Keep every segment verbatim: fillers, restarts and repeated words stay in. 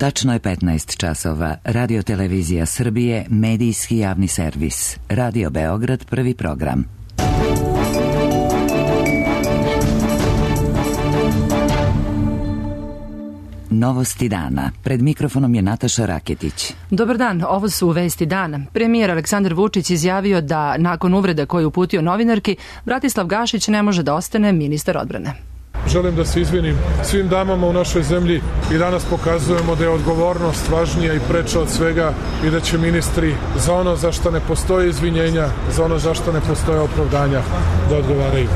Tačno je petnaest časova. Radio Televizija Srbije, medijski javni servis. Radio Beograd, prvi program. Novosti dana. Pred mikrofonom je Nataša Raketić. Dobar dan, ovo su vesti dana. Premijer Aleksandar Vučić izjavio da nakon uvrede koju uputio novinarki, Bratislav Gašić ne može da ostane ministar odbrane. Želim da se izvinim svim damama u našoj zemlji i danas pokazujemo da je odgovornost važnija i preča od svega i da će ministri za ono za što ne postoje izvinjenja, za ono za što ne postoje opravdanja da odgovaraju.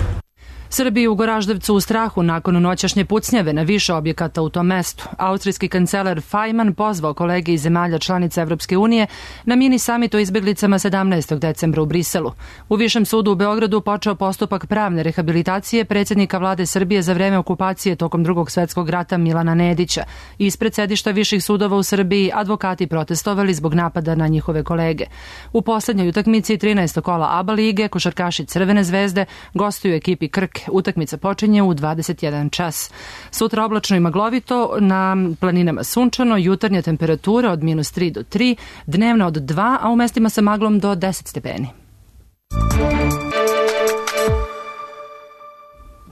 Srbi u Goraždevcu u strahu nakon noćašnje pucnjave na više objekata u tom mestu. Austrijski kancelar Fajman pozvao kolege iz zemalja članica Evropske unije na mini samit o izbjeglicama sedamnaestog decembra u Briselu. U Višem sudu u Beogradu počeo postupak pravne rehabilitacije predsjednika vlade Srbije za vreme okupacije tokom Drugog svetskog rata Milana Nedića. Ispred sedišta viših sudova u Srbiji advokati protestovali zbog napada na njihove kolege. U poslednjoj utakmici trinaestog kola ABA lige košarkaši Crvene zvezde gostuju ekipi Krke. Utakmica počinje u dvadeset jedan čas. Sutra oblačno i maglovito, na planinama sunčano, jutarnja temperatura od minus tri do tri, dnevna od dva, a u mestima sa maglom do deset stepeni.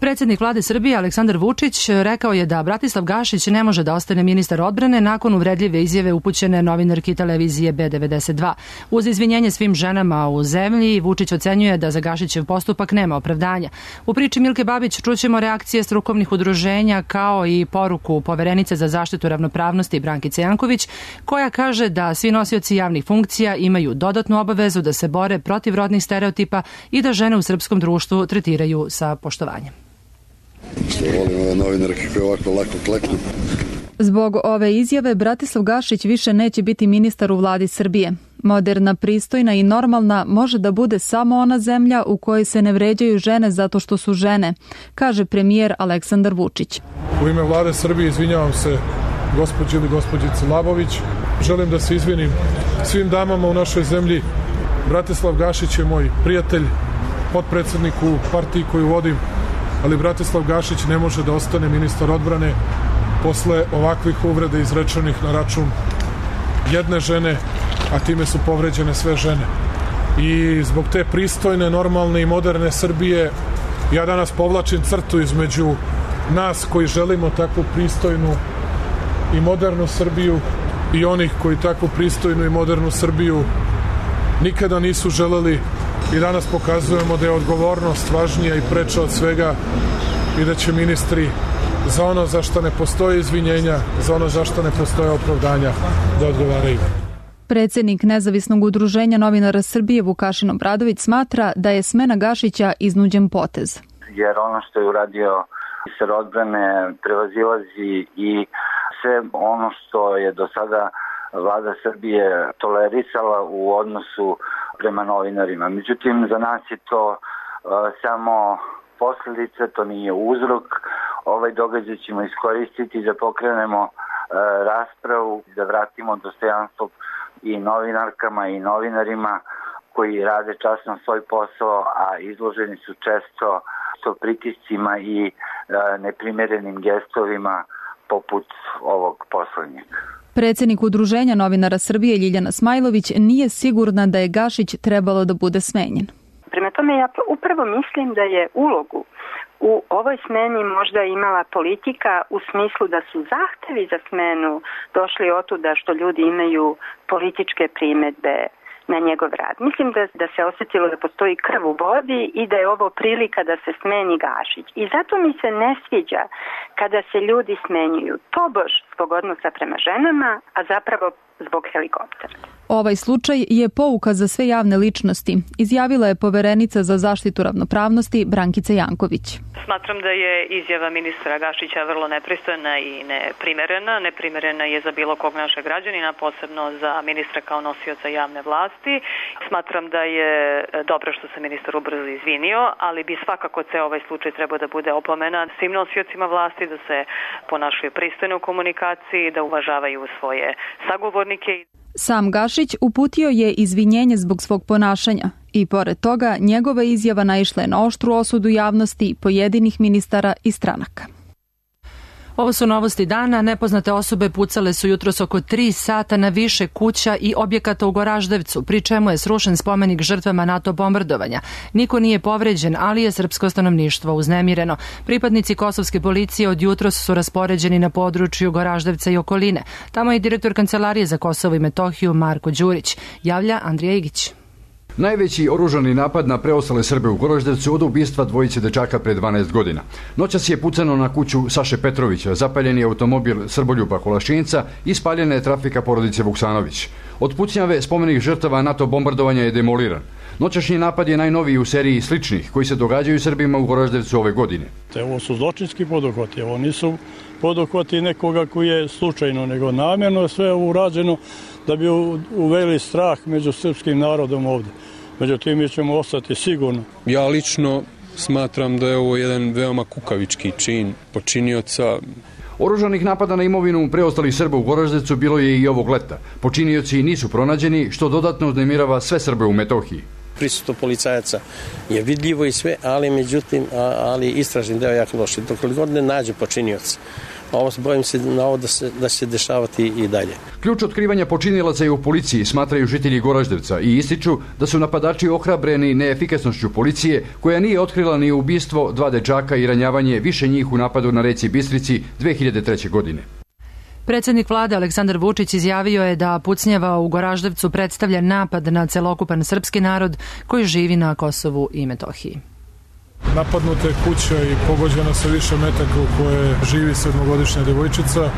Predsjednik vlade Srbije Aleksandar Vučić rekao je da Bratislav Gašić ne može da ostane ministar odbrane nakon uvredljive izjave upućene novinarki televizije B devedeset dva. Uz izvinjenje svim ženama u zemlji, Vučić ocenjuje da za Gašićev postupak nema opravdanja. U priči Milke Babić čućemo reakcije strukovnih udruženja kao i poruku poverenice za zaštitu ravnopravnosti Brankice Janković, koja kaže da svi nosioci javnih funkcija imaju dodatnu obavezu da se bore protiv rodnih stereotipa i da žene u srpskom društvu tretiraju sa poštovanjem. Što volim ove novinarke koje ovako lako kleknu. Zbog ove izjave Bratislav Gašić više neće biti ministar u vladi Srbije. Moderna, pristojna i normalna može da bude samo ona zemlja u kojoj se ne vređaju žene zato što su žene, kaže premijer Aleksandar Vučić. U ime vlade Srbije izvinjavam se gospođi ili gospođici Labović. Želim da se izvinim svim damama u našoj zemlji. Bratislav Gašić je moj prijatelj, potpredsednik u partiji koju vodim, ali Bratislav Gašić ne može da ostane ministar odbrane posle ovakvih uvreda izrečenih na račun jedne žene, a time su povređene sve žene. I zbog te pristojne, normalne i moderne Srbije ja danas povlačim crtu između nas koji želimo takvu pristojnu i modernu Srbiju i onih koji takvu pristojnu i modernu Srbiju nikada nisu želeli. I danas pokazujemo da je odgovornost važnija i preča od svega i da će ministri za ono za što ne postoje izvinjenja, za ono za što ne postoje opravdanja da odgovaraju. Predsjednik Nezavisnog udruženja novinara Srbije Vukašin Obradović smatra da je smena Gašića iznuđen potez. Jer ono što je uradio ministar odbrane prevazilazi i sve ono što je do sada vlada Srbije tolerisala u odnosu prema novinarima. Međutim, za nas je to uh, samo posljedica, to nije uzrok. Ovaj događaj ćemo iskoristiti da pokrenemo uh, raspravu, da vratimo dostojanstvo i novinarkama i novinarima koji rade časno svoj posao, a izloženi su često so pritiscima i uh, neprimerenim gestovima poput ovog poslednjeg. Predsjednik Udruženja novinara Srbije Ljiljana Smajlović nije sigurna da je Gašić trebalo da bude smenjen. Prema tome ja upravo mislim da je ulogu u ovoj smeni možda imala politika u smislu da su zahtevi za smenu došli otuda što ljudi imaju političke primedbe na njegov rad. Mislim da, da se osjetilo da postoji krv u vodi i da je ovo prilika da se smeni Gašić. I zato mi se ne sviđa kada se ljudi smenjuju tobož zbog odnosa prema ženama, a zapravo zbog helikoptera. Ovaj slučaj je pouka za sve javne ličnosti, izjavila je poverenica za zaštitu ravnopravnosti Brankica Janković. Smatram da je izjava ministra Gašića vrlo nepristojna i neprimerena. Neprimerena je za bilo kog našeg građanina, posebno za ministra kao nosioca javne vlasti. Smatram da je dobro što se ministar ubrzo izvinio, ali bi svakako ceo ovaj slučaj trebao da bude opomena svim nosiocima vlasti, da se ponašaju pristojno u komunikaciji, da uvažavaju svoje sagovornike. Sam Gašić uputio je izvinjenje zbog svog ponašanja i pored toga njegova izjava naišla je na oštru osudu javnosti pojedinih ministara i stranaka. Ovo su novosti dana. Nepoznate osobe pucale su jutros oko tri sata na više kuća i objekata u Goraždevcu, pri čemu je srušen spomenik žrtvama NATO bombardovanja. Niko nije povređen, ali je srpsko stanovništvo uznemireno. Pripadnici kosovske policije od jutros su raspoređeni na području Goraždevca i okoline. Tamo je direktor Kancelarije za Kosovo i Metohiju Marko Đurić. Javlja Andrija Igić. Najveći oružani napad na preostale Srbe u Goraždevcu od ubistva dvojice dečaka pre dvanaest godina. Noćas je pucano na kuću Saše Petrovića, zapaljen je automobil Srboljuba Kolašinca i spaljena je trafika porodice Vuksanović. Od pucnjave spomenik žrtava NATO bombardovanja je demoliran. Noćašnji napad je najnoviji u seriji sličnih koji se događaju Srbima u Goraždevcu ove godine. Ovo su zločinski poduhvati, ovo nisu poduhvati nekoga koji je slučajno, nego namjerno sve ovo urađeno da bi uveli strah među srpskim narodom ovdje. Međutim, mi ćemo ostati sigurno. Ja lično smatram da je ovo jedan veoma kukavički čin počinioca. Oružanih napada na imovinu preostalih Srba u Goraždevcu bilo je i ovog leta. Počinioci nisu pronađeni, što dodatno uznemirava sve Srbe u Metohiji. Prisustvo policajaca je vidljivo i sve, ali međutim, ali istražni deo jako loši. Dok god ne nađe počinioca, ovo bojim se na ovo da se, da se dešavati i dalje. Ključ otkrivanja počinilaca je u policiji, smatraju žitelji Goraždevca i ističu da su napadači ohrabreni neefikasnošću policije, koja nije otkrila ni ubistvo dva dečaka i ranjavanje više njih u napadu na reci Bistrici dve hiljade treće. godine. Predsjednik vlade Aleksandar Vučić izjavio je da pucnjava u Goraždevcu predstavlja napad na celokupan srpski narod koji živi na Kosovu i Metohiji. Napadnuta je kuća i pogođena sa više metaka u kojoj živi sedmogodišnja devojčica.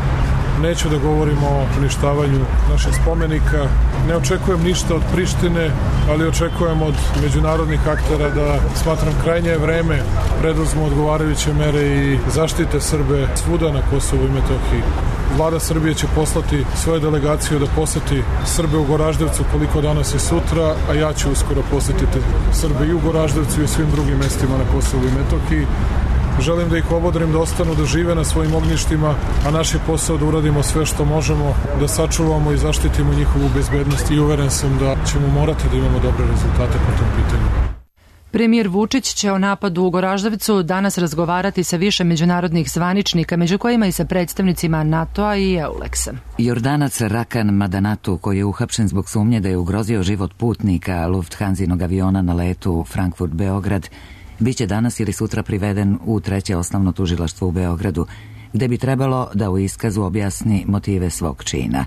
Neću da govorimo o uništavanju naših spomenika. Ne očekujem ništa od Prištine, ali očekujem od međunarodnih aktera da, smatram, krajnje vreme preduzmu odgovarajuće mere i zaštite Srbe svuda na Kosovu i Metohiji. Vlada Srbije će poslati svoju delegaciju da poseti Srbe u Goraždevcu koliko danas i sutra, a ja ću uskoro posetiti Srbe i u Goraždevcu i svim drugim mestima na Kosovu i Metohiji. Želim da ih obodrim da ostanu, da žive na svojim ognjištima, a naš je posao da uradimo sve što možemo, da sačuvamo i zaštitimo njihovu bezbednost i uveren sam da ćemo morati da imamo dobre rezultate po tom pitanju. Premijer Vučić će o napadu u Goraždevcu danas razgovarati sa više međunarodnih zvaničnika, među kojima i sa predstavnicima NATO-a i EULEX-a. Jordanac Rakan Madanatu, koji je uhapšen zbog sumnje da je ugrozio život putnika Lufthansinog aviona na letu Frankfurt-Beograd, biće danas ili sutra priveden u treće osnovno tužilaštvo u Beogradu, gde bi trebalo da u iskazu objasni motive svog čina.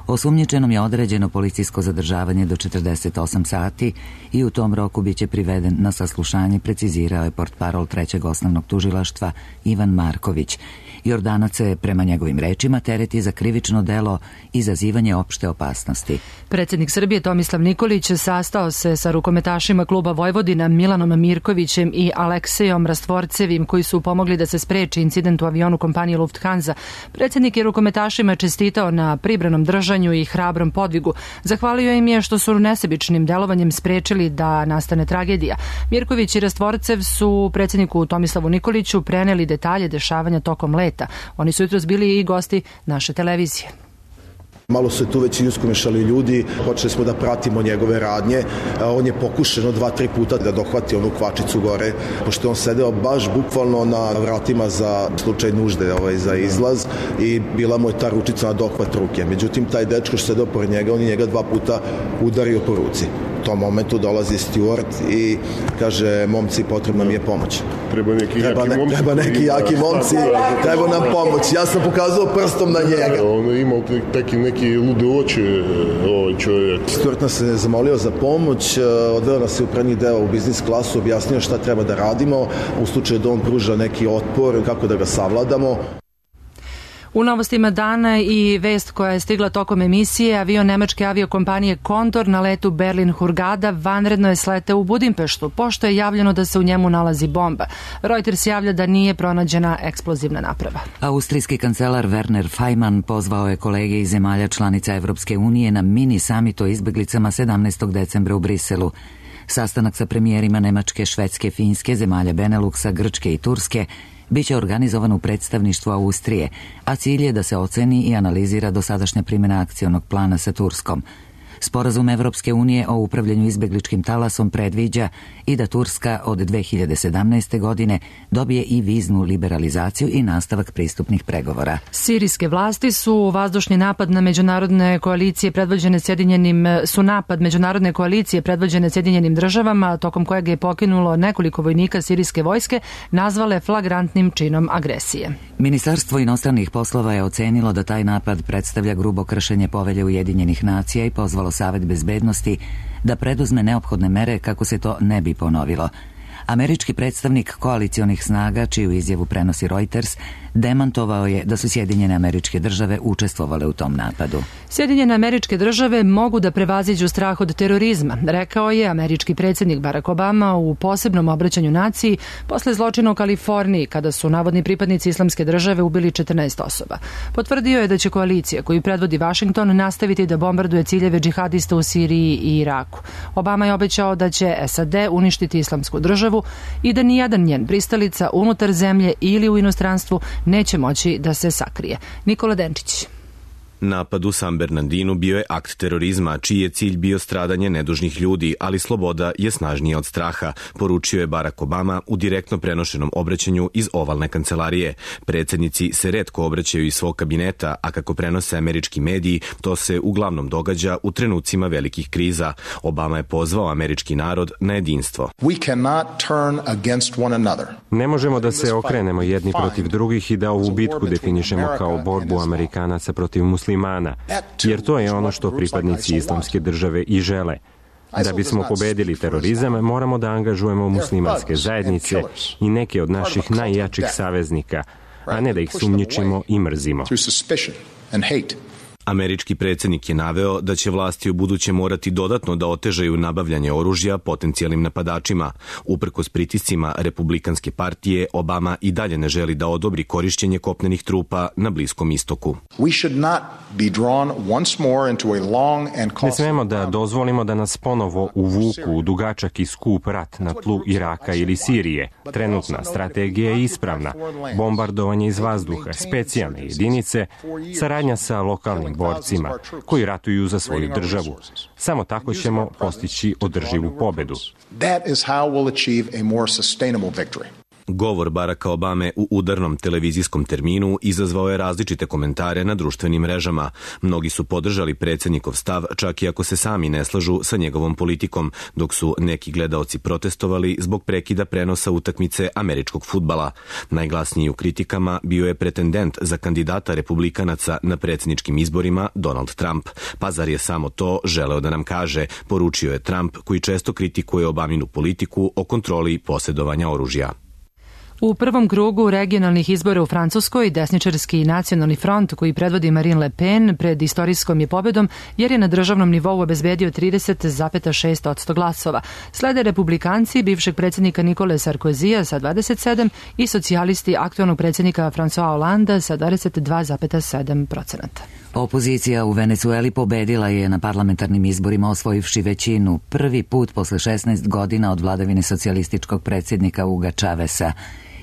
Osumnjičenom je određeno policijsko zadržavanje do četrdeset osam sati i u tom roku biće priveden na saslušanje, precizirao je portparol trećeg osnovnog tužilaštva Ivan Marković. Jordanac se, prema njegovim rečima, tereti za krivično delo izazivanje opšte opasnosti. Predsjednik Srbije Tomislav Nikolić sastao se sa rukometašima kluba Vojvodina Milanom Mirkovićem i Aleksejom Rastvorcevim, koji su pomogli da se spreči incident u avionu kompanije Lufthansa. Predsjednik je rukometašima čestitao na pribranom držanju i hrabrom podvigu. Zahvalio im je što su nesebičnim delovanjem sprečili da nastane tragedija. Mirković i Rastvorcev su predsjedniku Tomislavu Nikoliću preneli detalje dešavanja tokom leta. Oni su jutros bili i gosti naše televizije. Malo su tu već i uskomešali ljudi, počeli smo da pratimo njegove radnje. On je pokušeno dva, tri puta da dohvati onu kvačicu gore, pošto on sedeo baš bukvalno na vratima za slučaj nužde, ovaj, za izlaz, i bila mu je ta ručica na dohvat ruke. Međutim, taj dečko što sedeo pored njega, on je njega dva puta udario po ruci. U tom momentu dolazi steward i kaže: momci, potrebna mi je pomoć. Treba neki treba jaki ne, momci. Treba neki jaki momci, treba nam pomoć. Ja sam pokazao prstom na njega. On je imao taki neki lude oči, ovaj čovjek. Steward nas je zamolio za pomoć, odveo nas je u prednji deo u biznis klasu, objasnio šta treba da radimo, u slučaju da on pruža neki otpor, kako da ga savladamo. U novostima dana i vest koja je stigla tokom emisije, avion nemačke aviokompanije Condor na letu Berlin-Hurgada vanredno je sleteo u Budimpeštu, pošto je javljeno da se u njemu nalazi bomba. Reuters javlja da nije pronađena eksplozivna naprava. Austrijski kancelar Werner Faymann pozvao je kolege iz zemalja članica Evropske unije na mini samit o izbeglicama sedamnaestog decembra u Briselu. Sastanak sa premijerima Nemačke, Švedske, Finske, zemalja Beneluksa, Grčke i Turske biće organizovan u predstavništvu Austrije, a cilj je da se oceni i analizira dosadašnja primjena akcionog plana sa Turskom. Sporazum Evropske unije o upravljanju izbegličkim talasom predviđa i da Turska od dve hiljade sedamnaeste. godine dobije i viznu liberalizaciju i nastavak pristupnih pregovora. Sirijske vlasti su vazdušni napad na međunarodne koalicije predvođene Sjedinjenim su napad međunarodne koalicije predvođene Sjedinjenim državama, tokom kojeg je pokinulo nekoliko vojnika sirijske vojske, nazvale flagrantnim činom agresije. Ministarstvo inostranih poslova je ocenilo da taj napad predstavlja grubo kršenje povelje Ujedinjenih nacija i pozvalo Savet bezbednosti da preduzme neophodne mere kako se to ne bi ponovilo. Američki predstavnik koalicionih snaga, čiju izjavu prenosi Reuters, demantovao je da su Sjedinjene Američke Države učestvovale u tom napadu. Sjedinjene Američke Države mogu da prevaziđu strah od terorizma, rekao je američki predsjednik Barack Obama u posebnom obraćanju naciji posle zločina u Kaliforniji, kada su navodni pripadnici Islamske države ubili četrnaest osoba. Potvrdio je da će koalicija koju predvodi Washington nastaviti da bombarduje ciljeve džihadista u Siriji i Iraku. Obama je obećao da će S A D uništiti Islamsku državu i da nijedan njen pristalica unutar zemlje ili u inostranstvu neće moći da se sakrije. Nikola Denčić. Napad u San Bernardinu bio je akt terorizma, čiji je cilj bio stradanje nedužnih ljudi, ali sloboda je snažnija od straha, poručio je Barack Obama u direktno prenošenom obraćanju iz ovalne kancelarije. Predsjednici se retko obraćaju iz svog kabineta, a kako prenose američki mediji, to se uglavnom događa u trenucima velikih kriza. Obama je pozvao američki narod na jedinstvo. Ne možemo da se okrenemo jedni protiv drugih i da ovu bitku definišemo kao borbu Amerikanaca protiv muslimana. muslimana, jer to je ono što pripadnici Islamske države i žele. Da bismo pobedili terorizam, moramo da angažujemo muslimanske zajednice i neke od naših najjačih saveznika, a ne da ih sumnjičimo i mrzimo. Američki predsjednik je naveo da će vlasti u buduće morati dodatno da otežaju nabavljanje oružja potencijalnim napadačima. Uprkos pritiscima Republikanske partije, Obama i dalje ne želi da odobri korišćenje kopnenih trupa na Bliskom istoku. Ne smemo da dozvolimo da nas ponovo uvuku u dugačak i skup rat na tlu Iraka ili Sirije. Trenutna strategija je ispravna. Bombardovanje iz vazduha, specijalne jedinice, saradnja sa lokalnim borcima koji ratuju za svoju državu. Samo tako ćemo postići održivu pobedu. Govor Baracka Obame u udarnom televizijskom terminu izazvao je različite komentare na društvenim mrežama. Mnogi su podržali predsjednikov stav, čak i ako se sami ne slažu sa njegovom politikom, dok su neki gledaoci protestovali zbog prekida prenosa utakmice američkog fudbala. Najglasniji u kritikama bio je pretendent za kandidata republikanaca na predsjedničkim izborima Donald Trump. Pa zar je samo to želeo da nam kaže, poručio je Trump, koji često kritikuje Obaminu politiku o kontroli posjedovanja oružja. U prvom krugu regionalnih izbora u Francuskoj desničarski nacionalni front koji predvodi Marine Le Pen pred istorijskom je pobedom jer je na državnom nivou obezbedio trideset zarez šest posto glasova. Slede republikanci bivšeg predsjednika Nikole Sarkozija sa dvadeset sedam i socijalisti aktualnog predsjednika François Hollande sa dvadeset dva zarez sedam posto. Opozicija u Venecueli pobedila je na parlamentarnim izborima osvojivši većinu prvi put posle šesnaest godina od vladavine socijalističkog predsjednika Huga Chaveza.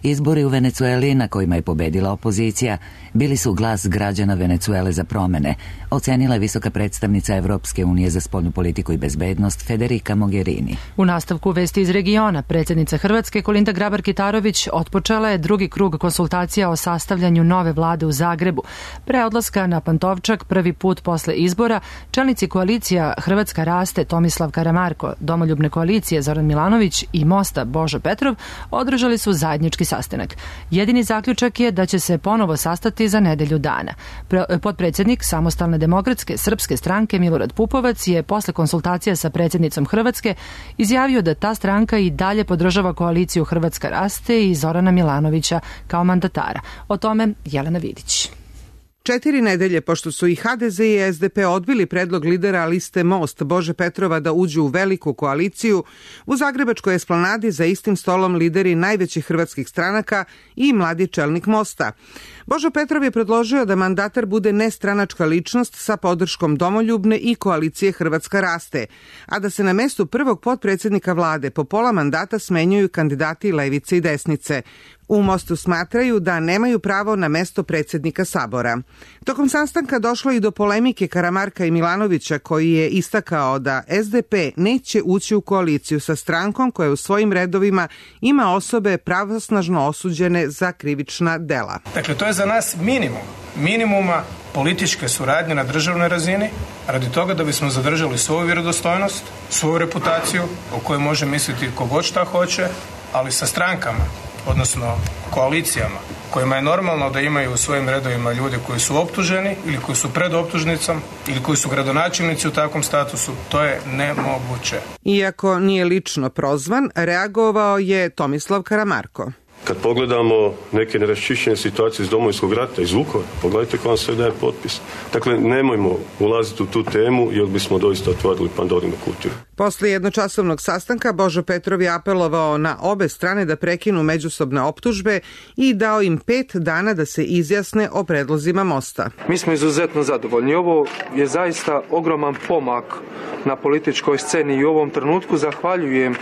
Izbori u Venecueli na kojima je pobedila opozicija bili su glas građana Venecuele za promene, ocenila je visoka predstavnica Evropske unije za spoljnu politiku i bezbednost Federica Mogherini. U nastavku vesti iz regiona, predsjednica Hrvatske Kolinda Grabar-Kitarović otpočela je drugi krug konsultacija o sastavljanju nove vlade u Zagrebu. Pre odlaska na Pantovčak prvi put posle izbora, čelnici koalicija Hrvatska raste Tomislav Karamarko, Domoljubne koalicije Zoran Milanović i Mosta Božo Petrov održali su zajednički sastanak. Jedini zaključak je da će se ponovo sastati za nedelju dana. Potpredsjednik Samostalne demokratske srpske stranke Milorad Pupovac je posle konsultacija sa predsjednicom Hrvatske izjavio da ta stranka i dalje podržava koaliciju Hrvatska raste i Zorana Milanovića kao mandatara. O tome Jelena Vidić. Četiri nedelje pošto su i H D Z i S D P odbili predlog lidera liste Most Bože Petrova da uđu u veliku koaliciju, u Zagrebačkoj esplanadi za istim stolom lideri najvećih hrvatskih stranaka i mladi čelnik Mosta. Božo Petrov je predložio da mandatar bude nestranačka ličnost sa podrškom Domoljubne i koalicije Hrvatska raste, a da se na mestu prvog potpredsjednika vlade po pola mandata smenjuju kandidati levice i desnice. U Mostu smatraju da nemaju pravo na mesto predsjednika Sabora. Tokom sastanka došlo i do polemike Karamarka i Milanovića, koji je istakao da S D P neće ući u koaliciju sa strankom koja u svojim redovima ima osobe pravosnažno osuđene za krivična dela. Dakle, to je za nas minimum, minimuma političke suradnje na državnoj razini, radi toga da bismo zadržali svoju vjerodostojnost, svoju reputaciju o kojoj može misliti kogod šta hoće, ali sa strankama, odnosno koalicijama, kojima je normalno da imaju u svojim redovima ljude koji su optuženi ili koji su pred optužnicom ili koji su gradonačelnici u takvom statusu, to je nemoguće. Iako nije lično prozvan, reagovao je Tomislav Karamarko. Kad pogledamo neke neraščišćene situacije iz Domovinskog rata, iz Vukovara, pogledajte ko vam sve daje potpis. Dakle, nemojmo ulaziti u tu temu jer bismo doista otvorili Pandorinu kutiju. Posle jednočasovnog sastanka Božo Petrov je apelovao na obe strane da prekinu međusobne optužbe i dao im pet dana da se izjasne o predlozima mosta. Mi smo izuzetno zadovoljni. Ovo je zaista ogroman pomak na političkoj sceni i u ovom trenutku zahvaljujem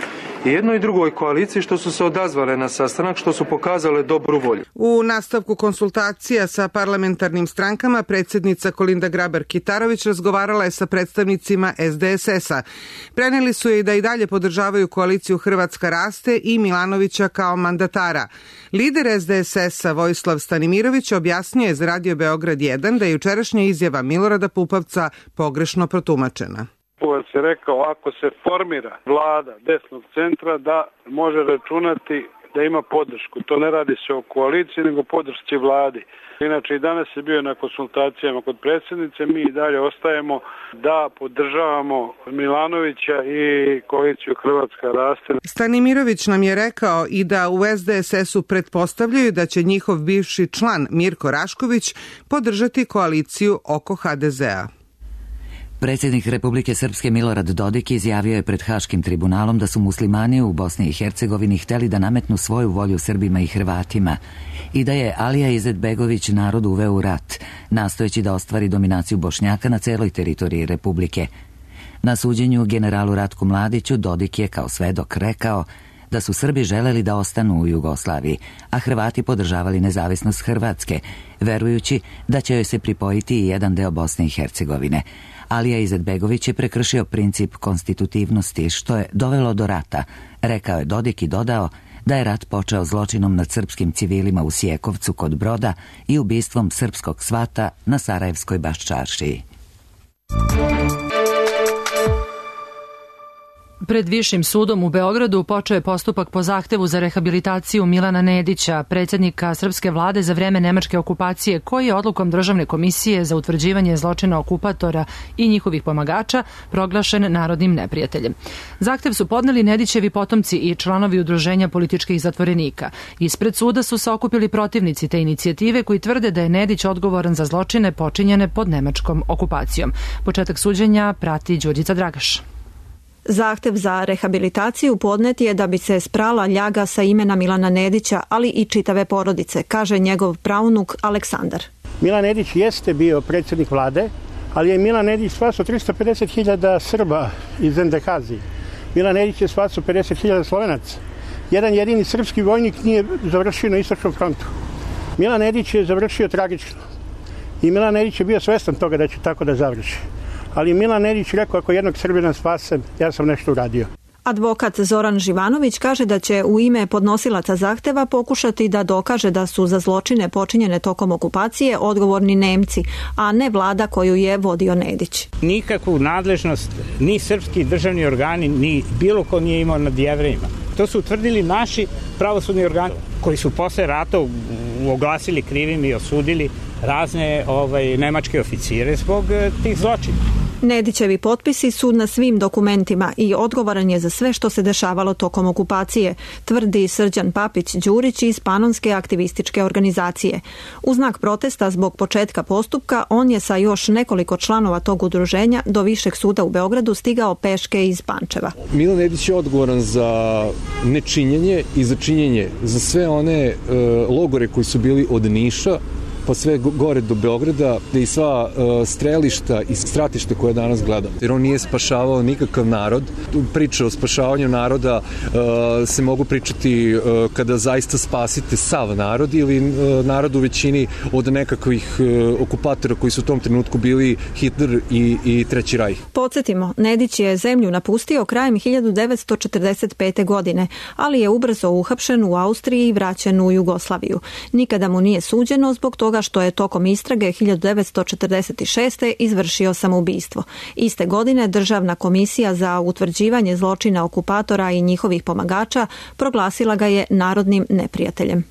i jednoj i drugoj koaliciji što su se odazvale na sastanak, što su pokazale dobru volju. U nastavku konsultacija sa parlamentarnim strankama predsjednica Kolinda Grabar-Kitarović razgovarala je sa predstavnicima S D S S-a. Preneli su je da i dalje podržavaju koaliciju Hrvatska raste i Milanovića kao mandatara. Lider S D S S-a Vojislav Stanimirović objasnio je za Radio Beograd jedan da je jučerašnja izjava Milorada Pupovca pogrešno protumačena. Pupovac je rekao ako se formira vlada desnog centra da može računati da ima podršku. To ne radi se o koaliciji nego podršci vladi. Inače i danas je bio na konsultacijama kod predsjednice, mi i dalje ostajemo da podržavamo Milanovića i koaliciju Hrvatska raste. Stanimirović nam je rekao i da u S D S S-u pretpostavljaju da će njihov bivši član Mirko Rašković podržati koaliciju oko H D Z-a. Predsjednik Republike Srpske Milorad Dodik izjavio je pred Haškim tribunalom da su muslimani u Bosni i Hercegovini hteli da nametnu svoju volju Srbima i Hrvatima i da je Alija Izetbegović narod uveo u rat, nastojeći da ostvari dominaciju Bošnjaka na celoj teritoriji Republike. Na suđenju generalu Ratku Mladiću Dodik je kao svedok rekao da su Srbi želeli da ostanu u Jugoslaviji, a Hrvati podržavali nezavisnost Hrvatske, verujući da će joj se pripojiti i jedan deo Bosne i Hercegovine. Alija Izetbegović je prekršio princip konstitutivnosti, što je dovelo do rata, rekao je Dodik i dodao da je rat počeo zločinom nad srpskim civilima u Sjekovcu kod Broda i ubistvom srpskog svata na Sarajevskoj Baščaršiji. Pred Višim sudom u Beogradu počeo je postupak po zahtevu za rehabilitaciju Milana Nedića, predsjednika srpske vlade za vreme nemačke okupacije, koji je odlukom Državne komisije za utvrđivanje zločina okupatora i njihovih pomagača proglašen narodnim neprijateljem. Zahtev su podneli Nedićevi potomci i članovi udruženja političkih zatvorenika. Ispred suda su se okupili protivnici te inicijative koji tvrde da je Nedić odgovoran za zločine počinjene pod nemačkom okupacijom. Početak suđenja prati Đurđica Dragaš. Zahtev za rehabilitaciju podnet je da bi se sprala ljaga sa imena Milana Nedića, ali i čitave porodice, kaže njegov praunuk Aleksandar. Milan Nedić jeste bio predsjednik vlade, ali je Milan Nedić spasao tristo pedeset hiljada Srba iz Endekazije. Milan Nedić je spasao pedeset hiljada Slovenaca. Jedan jedini srpski vojnik nije završio na istočnom frontu. Milan Nedić je završio tragično. I Milan Nedić je bio svestan toga da će tako da završi. Ali Milan Nedić rekao, ako jednog Srbina spasem, ja sam nešto uradio. Advokat Zoran Živanović kaže da će u ime podnosilaca zahteva pokušati da dokaže da su za zločine počinjene tokom okupacije odgovorni Nemci, a ne vlada koju je vodio Nedić. Nikakvu nadležnost ni srpski državni organi, ni bilo ko nije imao nad Jevrejima. To su utvrdili naši pravosudni organi koji su posle rata oglasili krivim i osudili razne ovaj, nemačke oficire zbog tih zločina. Nedićevi potpisi su na svim dokumentima i odgovoran je za sve što se dešavalo tokom okupacije, tvrdi Srđan Papić Đurić iz Panonske aktivističke organizacije. U znak protesta zbog početka postupka, on je sa još nekoliko članova tog udruženja do Višeg suda u Beogradu stigao peške iz Pančeva. Milan Nedić je odgovoran za nečinjenje i za činjenje za sve one e, logore koji su bili od Niša pa sve gore do Beograda i sva uh, strelišta i stratišta koje danas gledamo. Jer on nije spašavao nikakav narod. Priče o spašavanju naroda uh, se mogu pričati uh, kada zaista spasite sav narod ili uh, narod u većini od nekakvih uh, okupatora koji su u tom trenutku bili Hitler i, i Treći rajh. Podsjetimo, Nedić je zemlju napustio krajem hiljadu devetsto četrdeset pete. godine, ali je ubrzo uhapšen u Austriji i vraćen u Jugoslaviju. Nikada mu nije suđeno zbog toga što je tokom istrage hiljadu devetsto četrdeset šeste. izvršio samoubistvo. Iste godine Državna komisija za utvrđivanje zločina okupatora i njihovih pomagača proglasila ga je narodnim neprijateljem.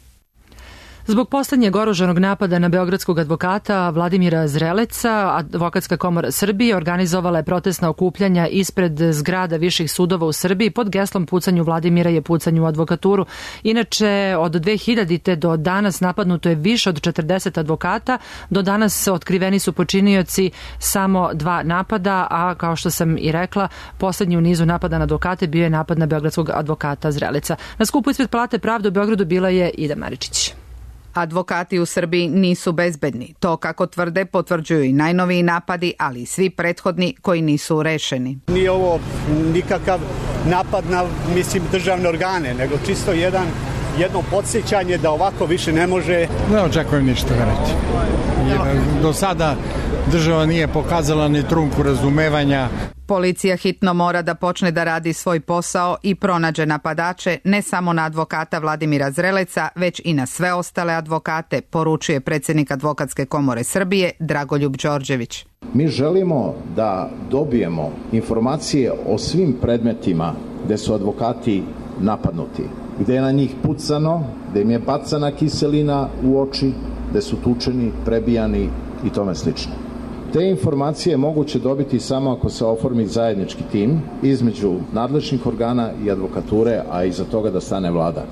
Zbog poslednjeg oružanog napada na beogradskog advokata Vladimira Zreleca, Advokatska komora Srbije organizovala je protestna okupljanja ispred zgrada viših sudova u Srbiji pod geslom pucanju Vladimira je pucanju u advokaturu. Inače, od dve hiljadite. do danas napadnuto je više od četrdeset advokata. Do danas otkriveni su počinioci samo dva napada, a kao što sam i rekla, poslednji u nizu napada na advokate bio je napad na beogradskog advokata Zreleca. Na skupu ispred Palate pravde u Beogradu bila je Ida Maričić. Advokati u Srbiji nisu bezbedni. To, kako tvrde, potvrđuju i najnoviji napadi, ali i svi prethodni koji nisu rešeni. Nije ovo nikakav napad na, mislim, državne organe, nego čisto jedan, jedno podsjećanje da ovako više ne može. Ne očekujem ništa, verujte. Do sada država nije pokazala ni trunku razumevanja. Policija hitno mora da počne da radi svoj posao i pronađe napadače ne samo na advokata Vladimira Zreleca, već i na sve ostale advokate, poručuje predsjednik Advokatske komore Srbije Dragoljub Đorđević. Mi želimo da dobijemo informacije o svim predmetima gde su advokati napadnuti, gde je na njih pucano, gde im je bacana kiselina u oči, gde su tučeni, prebijani i tome slično. Te informacije je moguće dobiti samo ako se oformi zajednički tim između nadležnih organa i advokature, a iza toga da stane vlada.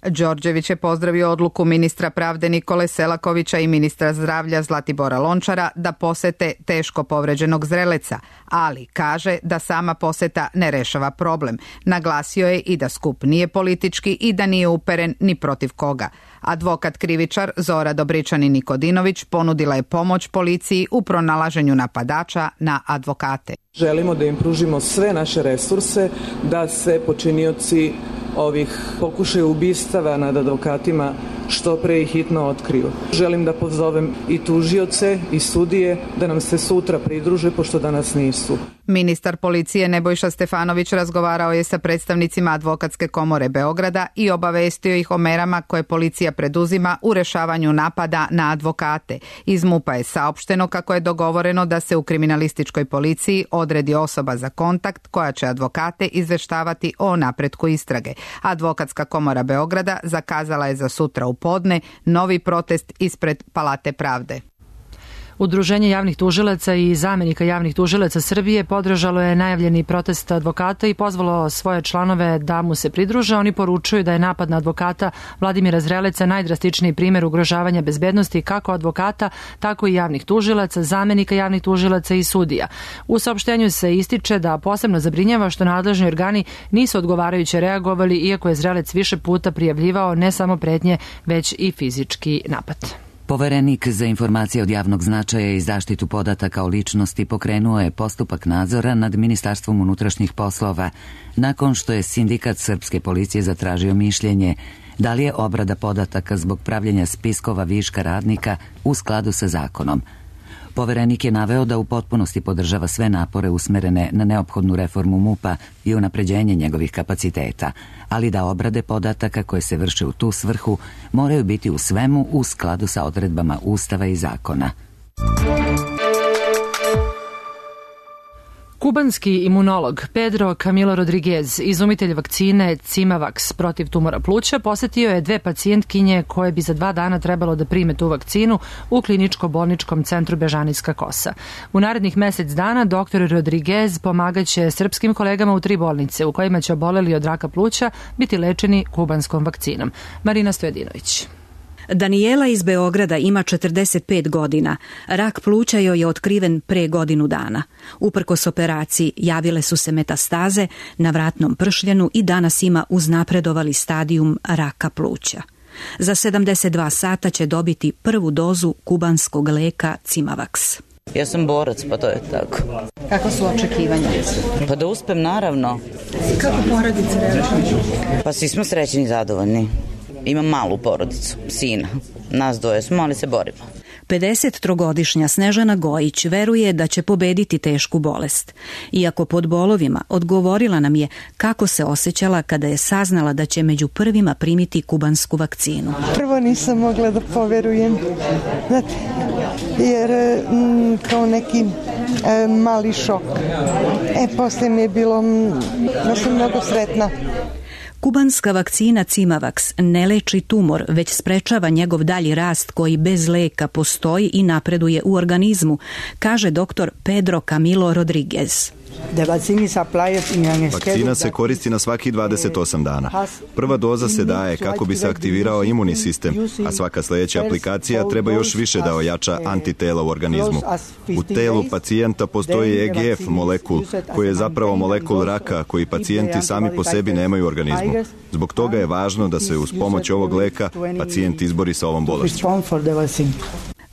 Đorđević je pozdravio odluku ministra pravde Nikole Selakovića i ministra zdravlja Zlatibora Lončara da posete teško povređenog Zreleca, ali kaže da sama poseta ne rešava problem. Naglasio je i da skup nije politički i da nije uperen ni protiv koga. Advokat krivičar Zora Dobričani Nikodinović ponudila je pomoć policiji u pronalaženju napadača na advokate. Želimo da im pružimo sve naše resurse da se počinioci ovih pokušaja ubistava nad advokatima što pre i hitno otkriju. Želim da pozovem i tužioce i sudije da nam se sutra pridruže, pošto danas nisu. Ministar policije Nebojša Stefanović razgovarao je sa predstavnicima Advokatske komore Beograda i obavestio ih o merama koje policija preduzima u rešavanju napada na advokate. Iz MUP-a je saopšteno kako je dogovoreno da se u kriminalističkoj policiji odredi osoba za kontakt koja će advokate izveštavati o napretku istrage. Advokatska komora Beograda zakazala je za sutra u podne novi protest ispred Palate pravde. Udruženje javnih tužilaca i zamenika javnih tužilaca Srbije podržalo je najavljeni protest advokata i pozvalo svoje članove da mu se pridruže. Oni poručuju da je napad na advokata Vladimira Zreleca najdrastičniji primjer ugrožavanja bezbednosti kako advokata, tako i javnih tužilaca, zamenika javnih tužilaca i sudija. U saopštenju se ističe da posebno zabrinjava što nadležni organi nisu odgovarajuće reagovali, iako je Zrelec više puta prijavljivao ne samo pretnje, već i fizički napad. Poverenik za informacije od javnog značaja i zaštitu podataka o ličnosti pokrenuo je postupak nadzora nad Ministarstvom unutrašnjih poslova nakon što je sindikat srpske policije zatražio mišljenje da li je obrada podataka zbog pravljenja spiskova viška radnika u skladu sa zakonom. Poverenik je naveo da u potpunosti podržava sve napore usmerene na neophodnu reformu MUP-a i unapređenje njegovih kapaciteta, ali da obrade podataka koje se vrše u tu svrhu moraju biti u svemu u skladu sa odredbama Ustava i zakona. Kubanski imunolog Pedro Camilo Rodriguez, izumitelj vakcine Cimavax protiv tumora pluća, posetio je dve pacijentkinje koje bi za dva dana trebalo da prime tu vakcinu u kliničko-bolničkom centru Bežanijska Kosa. U narednih mesec dana doktor Rodriguez pomagaće srpskim kolegama u tri bolnice u kojima će oboleli od raka pluća biti lečeni kubanskom vakcinom. Marina Stojadinović. Danijela iz Beograda ima četrdeset pet godina. Rak pluća joj je otkriven pre godinu dana. Uprkos operaciji javile su se metastaze na vratnom pršljenu i danas ima uznapredovali stadijum raka pluća. Za sedamdeset dva sata će dobiti prvu dozu kubanskog leka Cimavax. Ja sam borac, pa to je tako. Kako su očekivanja? Pa da uspem, naravno. Kako porodice reaguju? Pa svi smo srećni i zadovoljni. Imam malu porodicu, sina. Nas dvoje smo, ali se borimo. pedesettrogodišnja Snežana Gojić veruje da će pobediti tešku bolest. Iako pod bolovima, odgovorila nam je kako se osjećala kada je saznala da će među prvima primiti kubansku vakcinu. Prvo nisam mogla da poverujem, znate, jer m, kao neki e, mali šok. E, posle mi je bilo, ja sam mnogo sretna. Kubanska vakcina Cimavax ne leči tumor, već sprečava njegov dalji rast koji bez leka postoji i napreduje u organizmu, kaže doktor Pedro Camilo Rodriguez. Vakcina se koristi na svaki dvadeset osam dana. Prva doza se daje kako bi se aktivirao imunni sistem, a svaka sljedeća aplikacija treba još više da ojača antitela u organizmu. U telu pacijenta postoji E G F molekul, koji je zapravo molekul raka koji pacijenti sami po sebi nemaju u organizmu. Zbog toga je važno da se uz pomoć ovog leka pacijent izbori sa ovom bolešću.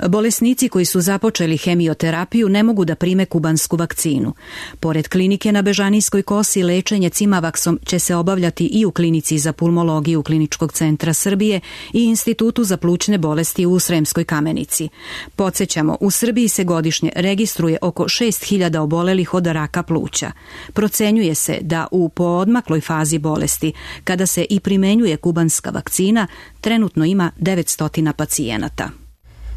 Bolesnici koji su započeli hemioterapiju ne mogu da prime kubansku vakcinu. Pored klinike na Bežanijskoj kosi, lečenje Cimavaxom će se obavljati i u klinici za pulmologiju Kliničkog centra Srbije i Institutu za plućne bolesti u Sremskoj Kamenici. Podsjećamo, u Srbiji se godišnje registruje oko šest hiljada obolelih od raka pluća. Procenjuje se da u poodmakloj fazi bolesti, kada se i primenjuje kubanska vakcina, trenutno ima devetsto pacijenata.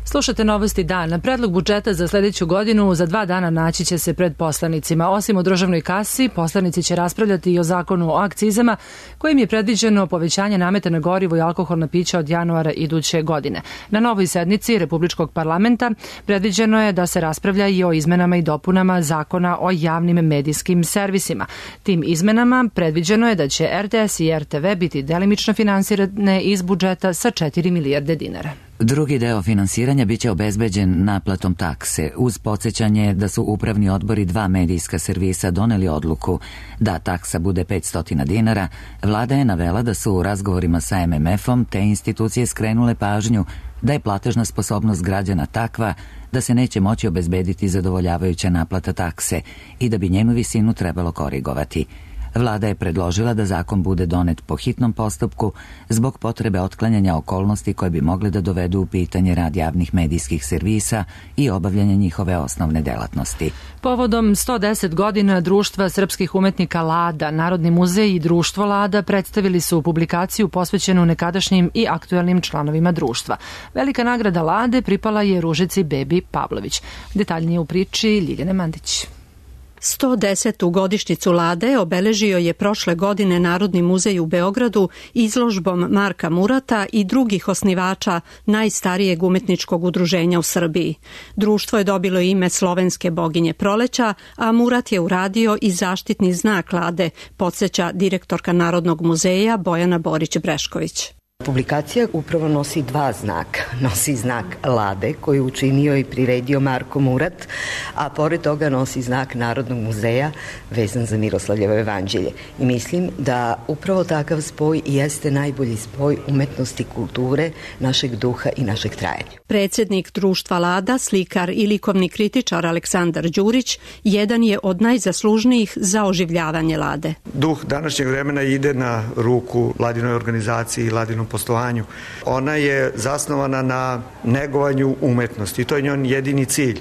Slušate novosti dana. Predlog budžeta za sljedeću godinu za dva dana naći će se pred poslanicima. Osim u državnoj kasi, poslanici će raspravljati i o zakonu o akcizama, kojim je predviđeno povećanje nameta na gorivo i alkoholna pića od januara iduće godine. Na novoj sednici Republičkog parlamenta predviđeno je da se raspravlja i o izmenama i dopunama zakona o javnim medijskim servisima. Tim izmenama predviđeno je da će R T S i R T V biti delimično finansirane iz budžeta sa četiri milijarde dinara. Drugi deo finansiranja biće obezbeđen naplatom takse, uz podsjećanje da su upravni odbori dva medijska servisa doneli odluku da taksa bude petsto dinara. Vlada je navela da su u razgovorima sa M M F-om te institucije skrenule pažnju da je platežna sposobnost građana takva da se neće moći obezbediti zadovoljavajuća naplata takse i da bi njenu visinu trebalo korigovati. Vlada je predložila da zakon bude donet po hitnom postupku zbog potrebe otklanjanja okolnosti koje bi mogle da dovedu u pitanje rad javnih medijskih servisa i obavljanje njihove osnovne delatnosti. Povodom sto deset godina Društva srpskih umetnika Lada, Narodni muzej i Društvo Lada predstavili su publikaciju posvećenu nekadašnjim i aktuelnim članovima društva. Velika nagrada Lade pripala je Ružici Bebi Pavlović. Detaljnije u priči Ljiljane Mandić. sto desetu godišnjicu Lade obeležio je prošle godine Narodni muzej u Beogradu izložbom Marka Murata i drugih osnivača najstarijeg umetničkog udruženja u Srbiji. Društvo je dobilo ime slovenske boginje proleća, a Murat je uradio i zaštitni znak Lade, podsjeća direktorka Narodnog muzeja Bojana Borić-Brešković. Publikacija upravo nosi dva znaka. Nosi znak Lade koji je učinio i priredio Marko Murat, a pored toga nosi znak Narodnog muzeja vezan za Miroslavljevo evanđelje. I mislim da upravo takav spoj jeste najbolji spoj umetnosti, kulture, našeg duha i našeg trajanja. Predsjednik Društva Lada, slikar i likovni kritičar Aleksandar Đurić, jedan je od najzaslužnijih za oživljavanje Lade. Duh današnjeg vremena ide na ruku Ladinoj organizaciji i Ladinom poslovanju. Ona je zasnovana na negovanju umetnosti i to je njen jedini cilj.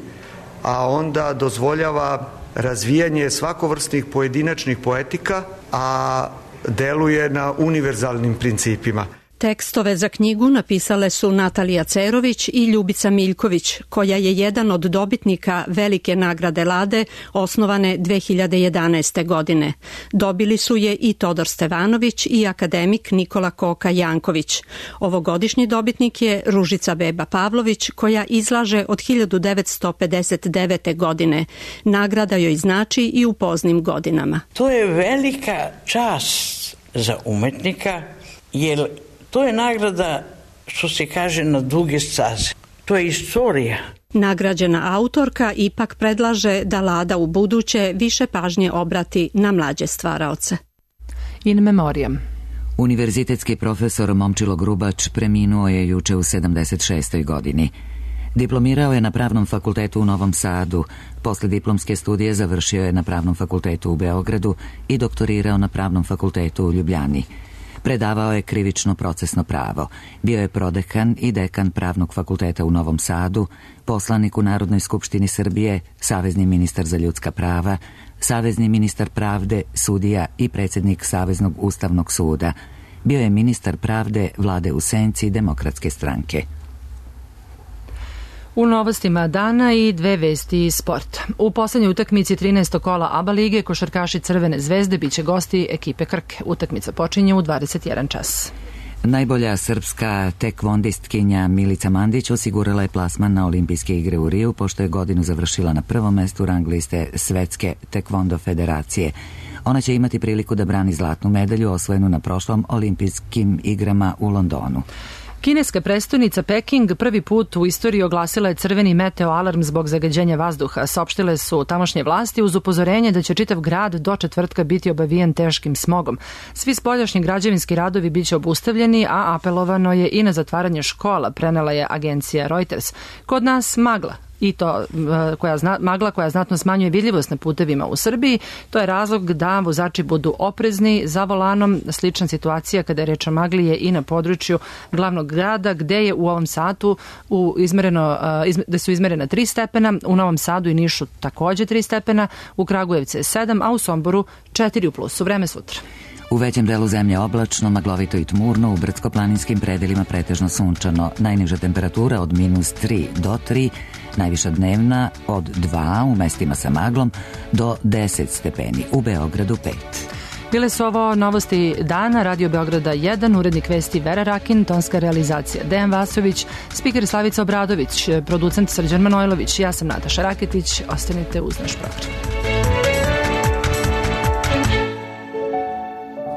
A onda dozvoljava razvijanje svakovrsnih pojedinačnih poetika, a deluje na univerzalnim principima. Tekstove za knjigu napisale su Natalija Cerović i Ljubica Miljković, koja je jedan od dobitnika Velike nagrade Lade, osnovane dve hiljade jedanaeste. godine. Dobili su je i Todor Stevanović i akademik Nikola Koka Janković. Ovogodišnji dobitnik je Ružica Beba Pavlović, koja izlaže od hiljadu devetsto pedeset devete. godine. Nagrada joj znači i u poznim godinama. To je velika čast za umetnika, jer to je nagrada, što se kaže, na duge staze. To je istorija. Nagrađena autorka ipak predlaže da Lada u buduće više pažnje obrati na mlađe stvaraoce. In memoriam. Univerzitetski profesor Momčilo Grubač preminuo je juče u sedamdeset šestoj godini. Diplomirao je na Pravnom fakultetu u Novom Sadu, posle diplomske studije završio je na Pravnom fakultetu u Beogradu i doktorirao na Pravnom fakultetu u Ljubljani. Predavao je krivično procesno pravo, bio je prodekan i dekan Pravnog fakulteta u Novom Sadu, poslanik u Narodnoj skupštini Srbije, savezni ministar za ljudska prava, savezni ministar pravde, sudija i predsjednik Saveznog ustavnog suda. Bio je ministar pravde vlade u senci Demokratske stranke. U novostima dana i dve vesti iz sporta. U poslednjoj utakmici trinaestog kola ABA lige košarkaši Crvene zvezde biće gosti ekipe Krke. Utakmica počinje u dvadeset jedan čas. Najbolja srpska tekvondistkinja Milica Mandić osigurala je plasman na olimpijske igre u Riju, pošto je godinu završila na prvom mestu rang liste Svetske tekvondo federacije. Ona će imati priliku da brani zlatnu medalju osvojenu na prošlom olimpijskim igrama u Londonu. Kineska prestonica Peking prvi put u istoriji oglasila je crveni meteo alarm zbog zagađenja vazduha. Saopštile su tamošnje vlasti uz upozorenje da će čitav grad do četvrtka biti obavijen teškim smogom. Svi spoljašnji građevinski radovi biće obustavljeni, a apelovano je i na zatvaranje škola, prenela je agencija Reuters. Kod nas magla. I to koja zna, magla koja znatno smanjuje vidljivost na putevima u Srbiji. To je razlog da vozači budu oprezni za volanom. Slična situacija kada je reč o magli je i na području glavnog grada, gde je u ovom satu u izmereno, da su izmerena tri stepena, u Novom Sadu i Nišu takođe tri stepena, u Kragujevcu je sedam, a u Somboru četiri u plusu. Vreme sutra. U većem delu zemlje oblačno, maglovito i tmurno, u brdsko-planinskim predelima pretežno sunčano. Najniža temperatura od minus tri do tri, najviša dnevna od dva u mestima sa maglom do deset stepeni, u Beogradu pet. Bile su ovo novosti dana, Radio Beograda jedan, urednik vesti Vera Rakin, tonska realizacija Dejan Vasović, spiker Slavica Obradović, producent Srđan Manojlović, ja sam Nataša Raketić, ostanite uz naš program.